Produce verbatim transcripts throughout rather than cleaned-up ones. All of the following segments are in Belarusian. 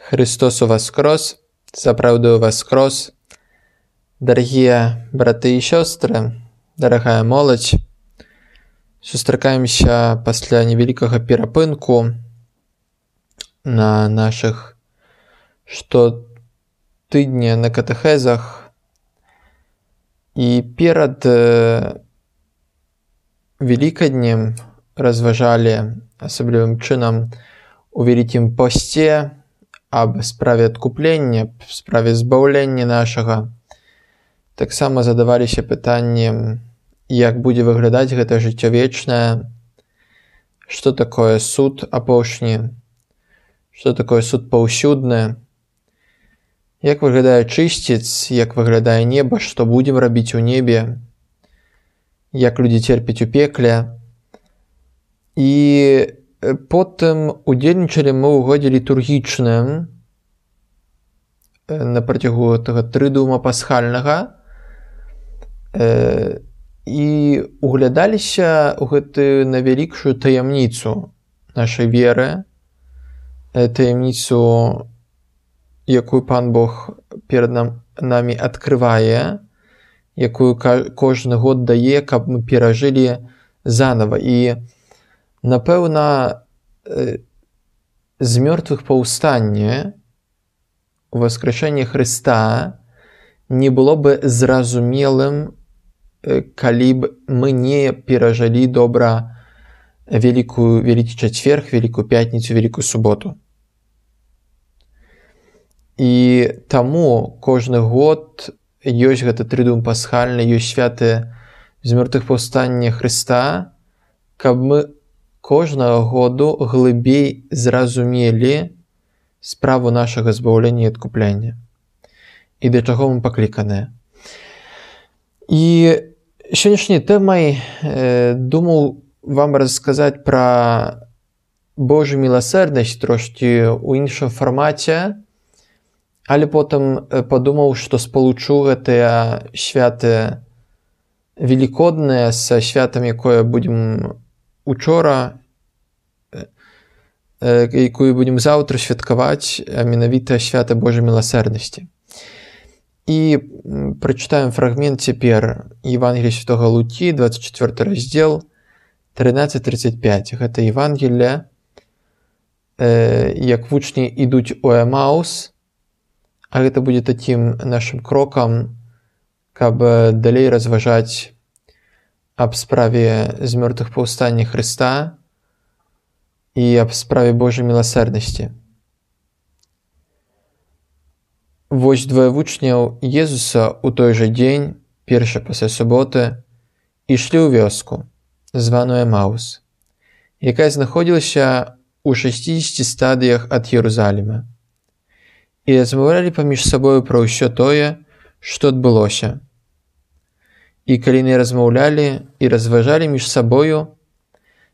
Христос воскрес, заправду воскрес. Дорогие браты и сестры, дорогая молодь, сустракаемся пасля невялікага перапынку на наших штотыдня на катэхезах. І перад Великоднем разважалі асаблівым чынам у вялікім посце аб справе адкуплення, справе збаўлення нашага. Таксама задаваліся пытаннем, як будзе выглядаць гэта жыццё вечнае, што такое суд апошні, што такое суд паўсюдны, як выглядае чысціц, як выглядае неба, што будзем рабіць у небе, як людзі церпяць у пекле. І потым удзельнічалі мы ў годзе літургічным на працягу гэтага трыдума пасхальнага і углядаліся ў гэтую найвялікшую таямніцу нашай веры, таямніцу, якую Пан Бог перад нам, намі адкрывае, якую кожны год дае, каб мы перажылі занава. І напэўна, з мёртвых паўстанне, воскрешэнне Хрыста не было бы зразумелым, калі б мы не перажылі добра великую, великі чацверг, великую пятніцу, великую суботу. І таму кожны год ёсць гэты трыдум пасхальны, ёсць святы з мёртвых паўстання Хрыста, каб мы кожнага году глыбей зразумелі справу нашага збаўлення і адкуплення. І да чаго мы пакліканыя. І сённяшняй тэмай э, думаў вам расказаць пра Божую міласэрнасць трошкі ў іншым фармаце, але потым падумаў, што спалучу гэтыя святы велікодныя са святам, якое будзем учора, якую будзем заўтра святкаваць, а менавіта свята Божай міласэрнасці. І прачытаем фрагмент цяпер Евангелія святога Лукі, двадцать четвёрты раздзел, тринадцать тридцать пять. Гэта Евангелие, як вучні ідуць у Эмаус, а гэта будзе такім нашым крокам, каб далей разважаць аб справе з мёртвых паўстання Хрыста і аб справе Божай міласэрнасці. Вось двое вучняў Езуса ў той жа дзень, першы пасля суботы, ішлі ў вёску, званую Эмаус, якая знаходзілася ў шасцідзесяці стадыях ад Єрусаліма, і размаўлялі паміж сабою пра ўсё тое, што адбылося. І калі яны размаўлялі і разважалі між сабою,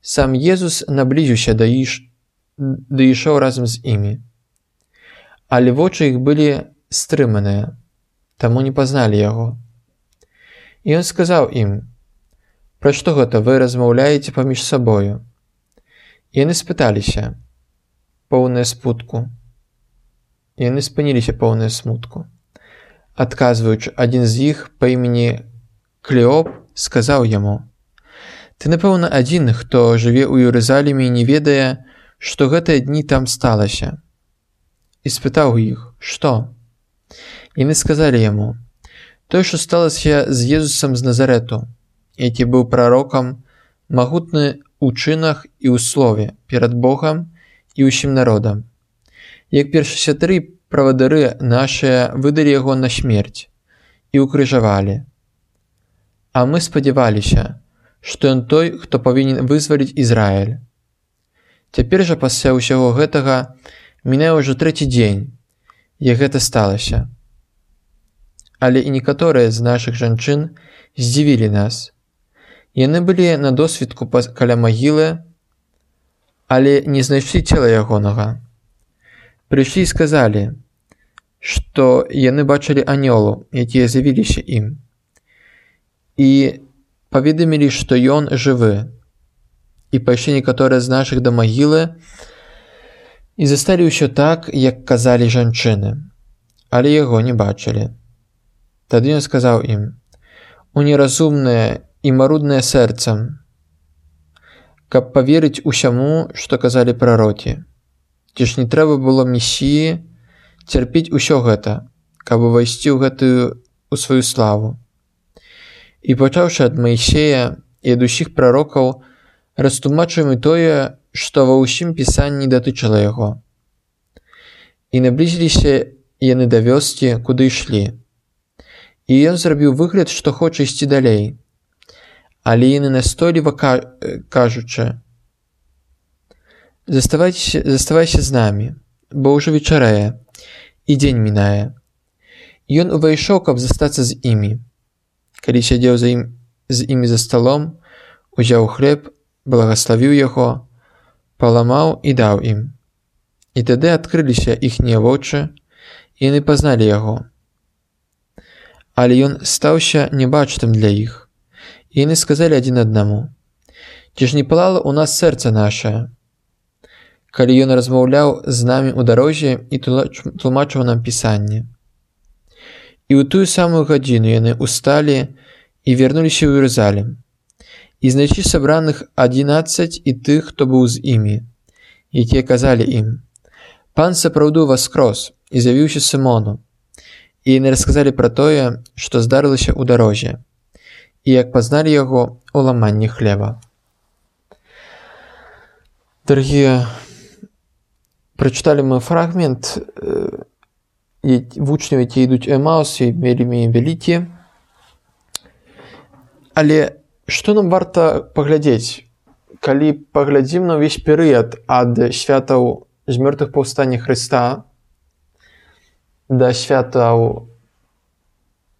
сам Езус наблізіўся да іх ды ішоў разам з імі. Але вочы іх былі стрыманыя, таму не пазналі яго. І ён сказаў ім: «Пра што гэта вы размаўляеце паміж сабою?» І яны спыталіся, поўныя смутку. І яны спыніліся поўныя смутку. Адказваючы, адзін з іх па імені Клеоп сказаў яму: «Ты, напэўна, адзін, хто жыве ў Єрусаліме і не ведае, што гэтыя дні там сталася». І спытаў іх: «Што?» Яны сказалі яму: «Тое, што сталася з Езусам з Назарэту, які быў прарокам, магутны ў чынах і ў слове перад Богам і ўсім народам. Як першасвятары правадыры нашыя выдалі яго на смерць і ўкрыжавалі. А мы спадзяваліся, што ён той, хто павінен вызваліць Ізраіль. Цяпер жа пасля ўсяго гэтага мінае ўжо трэці дзень, як гэта сталася. Але і некаторыя з нашых жанчын здзівілі нас. Яны былі на досвідку каля магілы, але не знайшлі цела ягонага. Прыйшлі і сказалі, што яны бачылі анёлу, якія з'явіліся ім, і паведамілі, што ён жывы. І пайшлі некаторыя з нашых да магілы І засталі ўсё так, як казалі жанчыны, але яго не бачылі. Тады ён сказаў ім: «У неразумнае і маруднае сэрцам, каб паверыць усяму, што казалі прарокі. Ці ж не трэба было Месіі цярпець усё гэта, каб увайсці ў гэтую у сваю славу. І пачаўшы ад Маісея і ад усіх прарокаў, растлумачыў і тое, што ва ўсім пісанні датычыла яго. І наблізіліся яны да вёскі, куды ішлі. І ён зрабіў выгляд, што хоча ісці далей. Але яны настойліва кажучы: «Заставайся, заставайся з намі, бо ўжо вечарэе, і дзень мінае». Ён увайшоў, каб застацца з імі. Калі сядзеў за ім, з імі за сталом, узяў хлеб, благаславіў яго, паламаў і даў ім. І тады адкрыліся іхнія вочы, і яны пазналі яго. Але ён стаўся небачным для іх. І яны сказалі адзін аднаму: «Ці ж не палала ў нас сэрца нашае, калі ён размаўляў з намі ў дарозе і тлумачыў нам пісанне». І ў тую самую гадзіну яны ўсталі і вярнуліся ў Іерусалім. І знайшлі сабраных адзінаццаць і тых, хто быў з імі, якія казалі ім: «Пан сапраўды ўваскрос і з'явіўся Сымону». І яны расказалі пра тое, што здарылася ў дарозе, і як пазналі яго ў ламанні хлеба. Дарагія, прачыталі мы фрагмент вучняў, якія ідуць у Эмаус, і вельмі вялікі. Але што нам варта паглядзець, калі паглядзім на ўвесь перыяд ад святаў з мёртвых паўстання Хрыста да святаў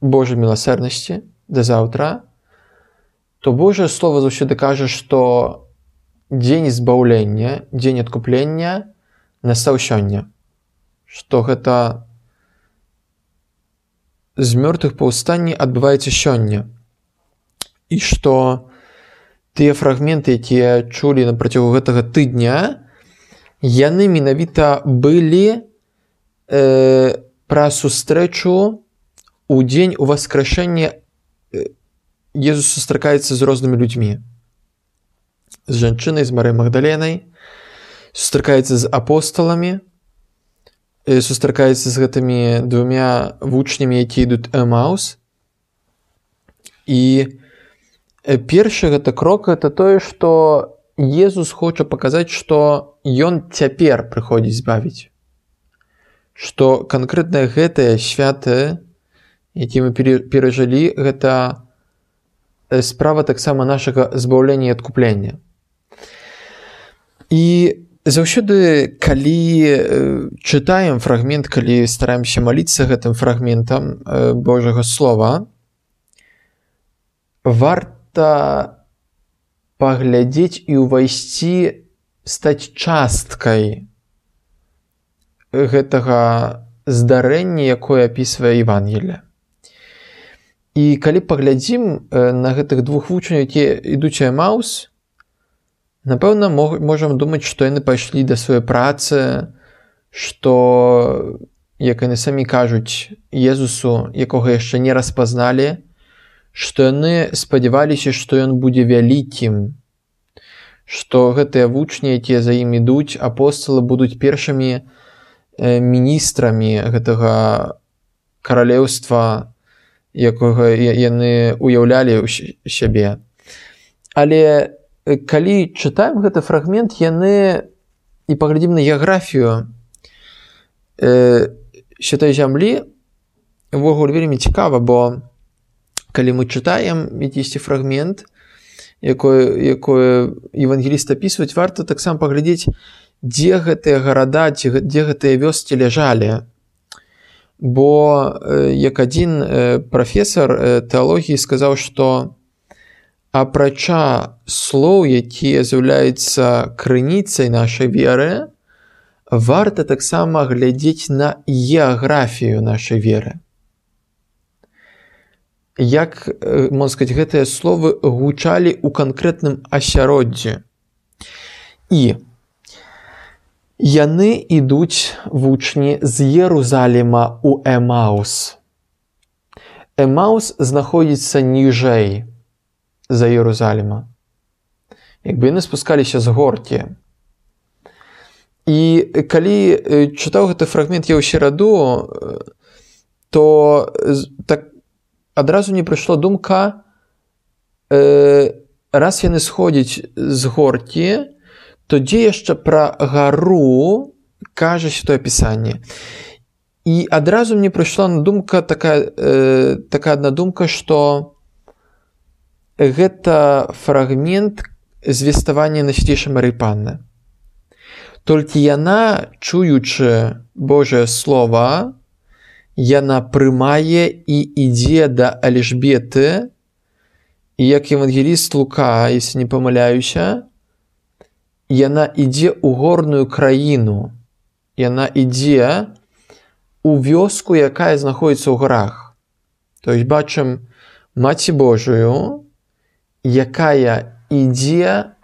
Божай міласэрнасці, да заўтра, то Божае Слова заўсёды кажа, што дзень збаўлення, дзень адкуплення настаў сёння. Што гэта з мёртвых паўстанне адбываецца сёння. І што тыя фрагменты, якія чулі на працягу гэтага тыдня, яны менавіта былі э, пра сустрэчу у дзень уваскрэшэння. Езус сустракаецца з рознымі людзьмі. З жанчынай, з Марыяй Магдаленай, сустракаецца з апосталамі, сустракаецца з гэтымі двумя вучнямі, якія ідуць у Эмаус. І першы гэта крок, гэта тое, што Езус хоча паказаць, што ён цяпер прыходзіць збавіць. Што канкрэтна гэтыя святы, якія мы перажылі, гэта справа таксама нашага збаўлення і адкуплення. І заўсёды, калі чытаем фрагмент, калі стараемся маліцца гэтым фрагментам Божага Слова, варта паглядзець і ўвайсці, стаць часткай гэтага здарэння, якое апісвае Евангелие. І калі паглядзім на гэтых двух вучняў, якія ідуць у Эмаус, напэўна, можам думаць, што яны пайшлі да сваёй працы, што, як яны самі кажуць, Езусу, якога яшчэ не распазналі, што яны спадзяваліся, што ён будзе вялікім, што гэтыя вучні, якія за ім ідуць, апосталы, будуць першымі міністрамі гэтага каралеўства, якога яны уяўлялі ў сябе. Але калі чытаем гэты фрагмент, яны, і паглядзім на геаграфію святой зямлі, увогуле вельмі цікава, бо калі мы чытаем якісьці фрагмент, якое евангеліст апісваюць, варта таксама паглядзець, дзе гэтыя гарада, дзе гэтыя вёскі ляжалі. Бо як адзін прафесар тэалогіі сказаў, што апрача слоў, якія з'яўляюцца крыніцай нашай веры, варта таксама глядзець на геаграфію нашай веры. Як, можна сказаць, гэтыя словы гучалі ў канкрэтным асяроддзі. І Яны ідуць вучні з Єрусаліма ў Емаус. Емаус знаходзіцца ніжэй за Єрусаліма. Якби яны спускаліся з горкі. І калі чытаў гэты фрагмент я ў сераду, то так адразу не прыйшла думка, раз яны сходзяць з горкі, то дзе яшчэ пра гару кажа Святое Пісанне. І адразу мне прыйшла на думка такая, э, такая адна думка, што гэта фрагмент звеставання Найсвятейшай Марыі Панны. Толькі яна, чуючы Божае Слова, яна прымае і ідзе да Эльжбеты, і як евангеліст Лука, если не памыляюся, яна ідзе ў горную краіну. Яна ідзе у вёску, якая знаходзіцца ў горах. То есть бачым Маці Божую, якая ідзе,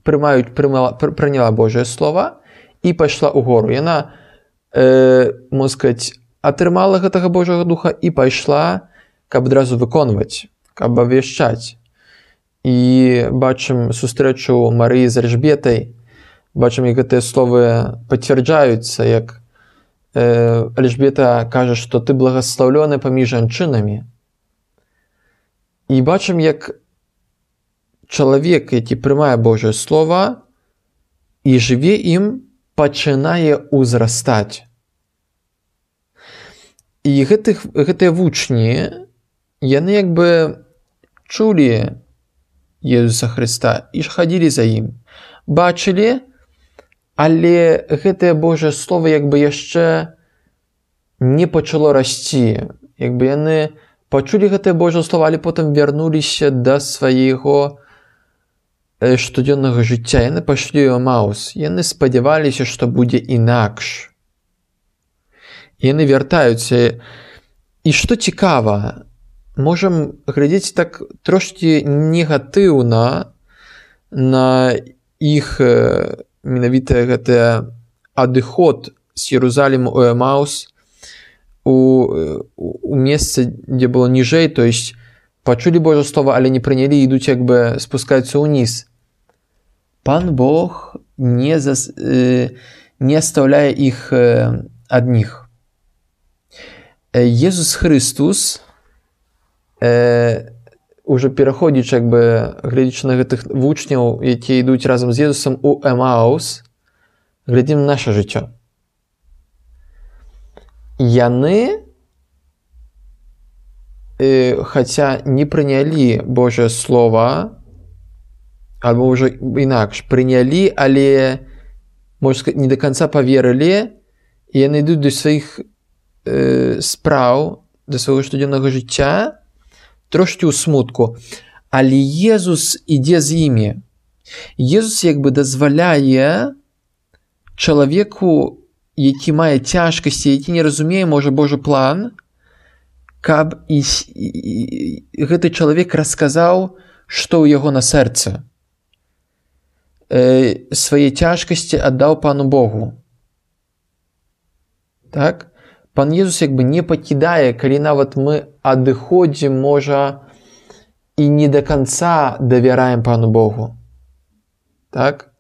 прымаюць, прымала, прыняла Божае Слова і пайшла ў гору. Яна, э, можна сказаць, атрымала гэтага Божага Духа і пайшла, каб адразу выконваць, каб абвяшчаць. І бачым сустрэчу Марыі з Эльжбетай, бачым, як гэтыя словы пацвярджаюцца, як э, Эльжбета кажа, што ты благаслаўлёны паміж жанчынамі. І бачым, як чалавек, які прымае Божае Слова і жыве ім, пачынае ўзрастаць. І гэтых, гэтыя вучні, яны як бы чулі Езуса Хрыста і хадзілі за ім, бачылі, але гэтае Божае Слово як бы яшчэ не пачало расці. Як бы яны пачулі гэтае Божае Слово, але потым вярнуліся да свайго штодзённага жыцця. Яны пайшлі ў Емаус. Яны спадзяваліся, што будзе інакш. Яны вяртаюцца. І што цікава, можам глядзець так трошкі негатыўна на іх менавіта гэты адыход з Єрусаліму ў Емаус у, у месцы, дзе было ніжэй, то есть пачулі Божае Слово, але не прынялі, ідуць як бы спускаюцца ўніз. Пан Бог не, зас, не оставляе іх адних. Езус Христус, уже пераходзячы, як бы, глядзячы на гэтых вучняў, якія ідуць разам з Езусам у Емаус, глядзім на наша жыццё. Яны, хаця не прынялі Божае Слова, альбо ўжо інакш, прынялі, але, можна сказаць, не да канца паверылі, і яны ідуць да сваіх э, спраў, да свайго штодзённага жыцця, трошкі ў смутку. Але Езус ідзе з імі. Езус як бы дазваляе чалавеку, які мае цяжкасці, які не разумее, можа, Божы план, каб і, і, і гэты чалавек расказаў, што ў яго на сэрцы. Э, свае цяжкасці аддаў Пану Богу. Так? Пан Езус як бы не пакідае, калі нават мы адыходзім, можа, і не да канца давяраем Пану Богу. Так?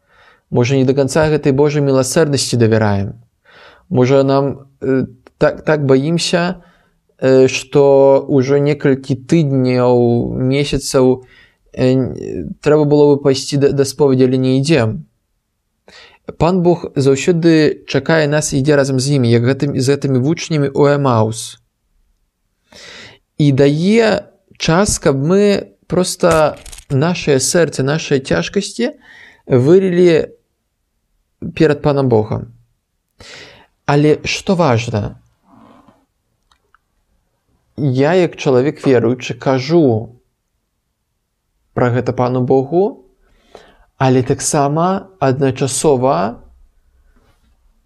Можа, не да канца гэтай Божай міласэрнасці давяраем. Можа, нам э, так, так баімся, э, што ўжо некалькі тыдняў, месяцаў э, трэба было бы пайсці да, да споведзі, але не ідзем. Пан Бог заўсёды чакае нас і ідзе разам з імі, як гэтым, з гэтымі вучнямі ў Емаус. І дае час, каб мы проста нашае сэрца, нашыя цяжкасці вылілі перад Панам Богам. Але што важна? Я, як чалавек веруючы, кажу пра гэта Пану Богу, але таксама адначасова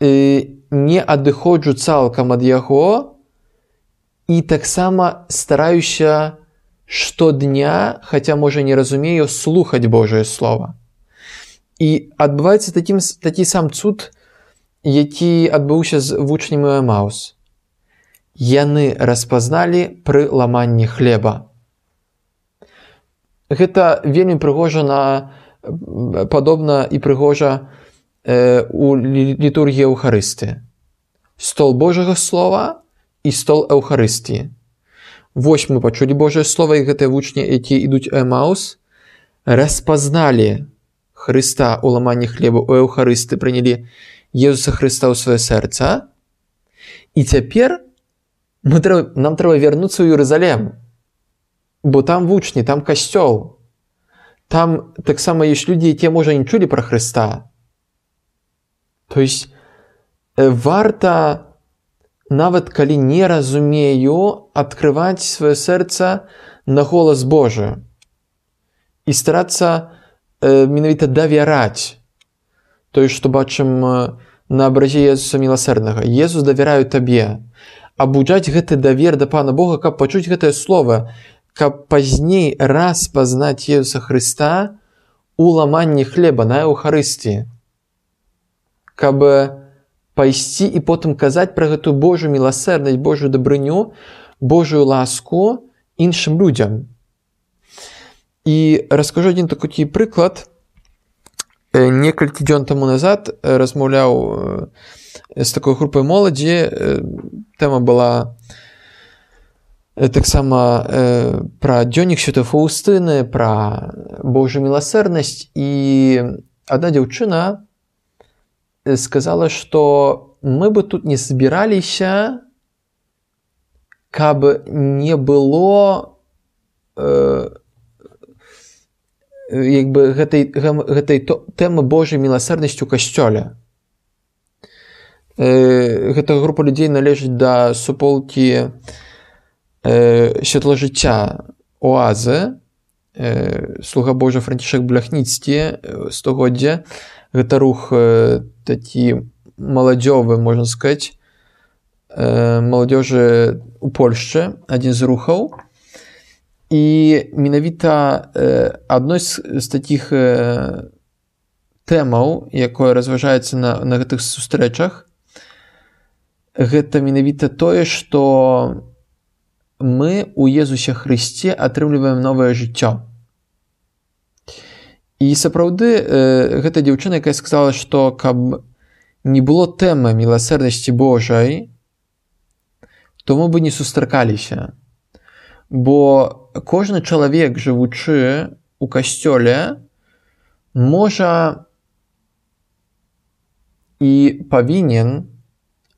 э, не адыходжу цалкам ад яго і таксама стараюся штодня, хаця, можа, не разумею, слухаць Божае Слова. І адбываецца такім, такі сам цуд, які адбыўся з вучнямі Эмаус. Яны распазналі пры ламанні хлеба. Гэта вельмі прыгожа на, падобна і прыгожа э, у літургіі Еўхарыстыі. Стол Божага Слова і стол Еўхарыстыі. Вось мы пачулі Божае Слова, і гэтыя вучні, якія ідуць у Эмаус, распазналі Хрыста у ламанні хлеба, у Еўхарысты, прынялі Езуса Хрыста ў сваё сэрца. І цяпер мы, нам трэба вярнуцца ў Єрусалем, бо там вучні, там касцёл. Там таксама ёсць людзі, якія, можа, не чулі пра Хрыста. То есть варта, нават калі не разумею, адкрываць сваё сэрца на голас Божы і старацца э, менавіта давяраць тое, што бачым на абразе Езуса Міласэрнага. Езус, давяраю табе. Абуджаць гэты давер да Пана Бога, каб пачуць гэтае слово, каб пазней распазнаць Езуса Хрыста у ламанні хлеба на Еўхарыстыі. Каб пайсці і потым казаць пра гэтую Божую міласэрнасць, Божую дабрыню, Божую ласку іншым людзям. І раскажу адзін такі прыклад. Некалькі дзён таму назад размаўляў з такой групай моладзі. Тэма была таксама пра дзённік Святой Фаўстыны, пра Божую міласэрнасць. І адна дзяўчына сказала, што мы бы тут не збіраліся, каб не было э, як бы гэтай, гэтай тэмы Божай міласэрнасці ў касцёле. Э, гэта група людзей належыць да суполкі э, святла-жыцця Оазы, э, слуга Божий Францішек Бляхніцкі, стагоддзя. Гэта рух э, такі маладзёвы, можна сказаць, э, маладзёжы у Польшчы, адзін з рухаў. І менавіта э, адной з, з такіх э, тэмаў, якое разважаецца на, на гэтых сустрэчах, гэта менавіта тое, што мы у Езусе Хрысце атрымліваем новае жыццё. І сапраўды э, гэта дзяўчына, якая сказала, што каб не было тэмы міласэрнасці Божай, то мы бы не сустракаліся. Бо кожны чалавек, жывучы у касцёле, можа і павінен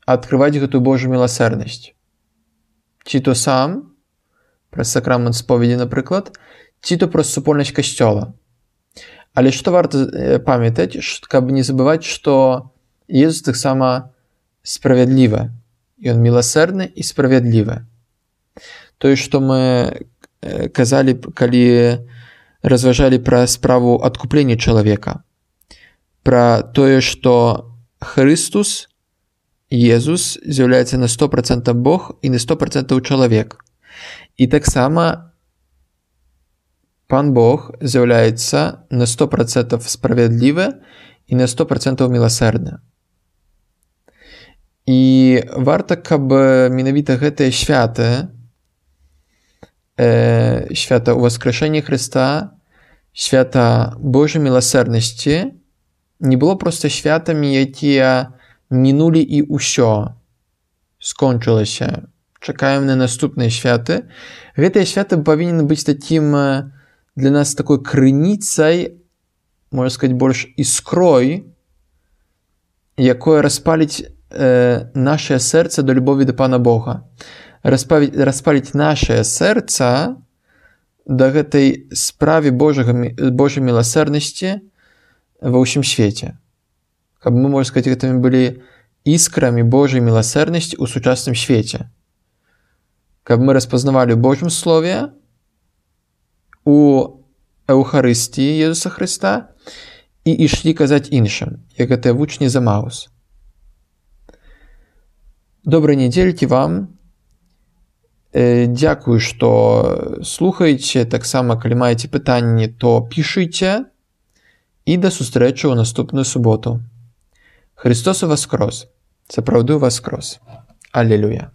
адкрываць гэтую Божую міласэрнасць. Ці то сам, праз сакрамент споведи, напрыклад, ці то праз супольнасць касцёла. Але што варта памятаць, каб не забываць, што Езус таксама справядлівы. Ён міласэрны і справядлівы. Тое, што мы казалі, калі разважалі пра справу адкуплення чалавека. Пра тое, што Хрыстус, Езус, з'яўляецца на сто процентаў Бог і на сто процентаў чалавек. І таксама Пан Бог з'яўляецца на сто процентаў справядлівы і на сто процентаў міласэрны. І варта, каб менавіта гэтыя святы, э, свята ўваскрэшэння Хрыста, свята Божай міласэрнасці, не было проста святамі, якія мінулі і ўсё, скончылася. Чакаем на наступныя святы. Гэтыя святы павінны быць такім для нас такой крыніцай, можна сказаць, больш іскрой, якое распаліць э, нашае сэрца да любові да Пана Бога. Распаліць, распаліць нашае сэрца да гэтай справе Божага, Божай міласэрнасці ва ўсім свеце. Каб мы, можна сказаць, гэтымі былі іскрамі Божай міласэрнасці ў сучасным свеце. Каб мы распазнавалі ў Божым Слове, у Еўхарыстыі Езуса Хрыста і ішлі казаць іншым, як гэтыя вучні з Эмаус. Добрай нядзелькі вам. Дзякую, што слухаеце. Таксама, калі маеце пытанні, то пішыце. і до зустрічі у наступну суботу. Христос воскрес! Сапраўды воскрес! Алілюя!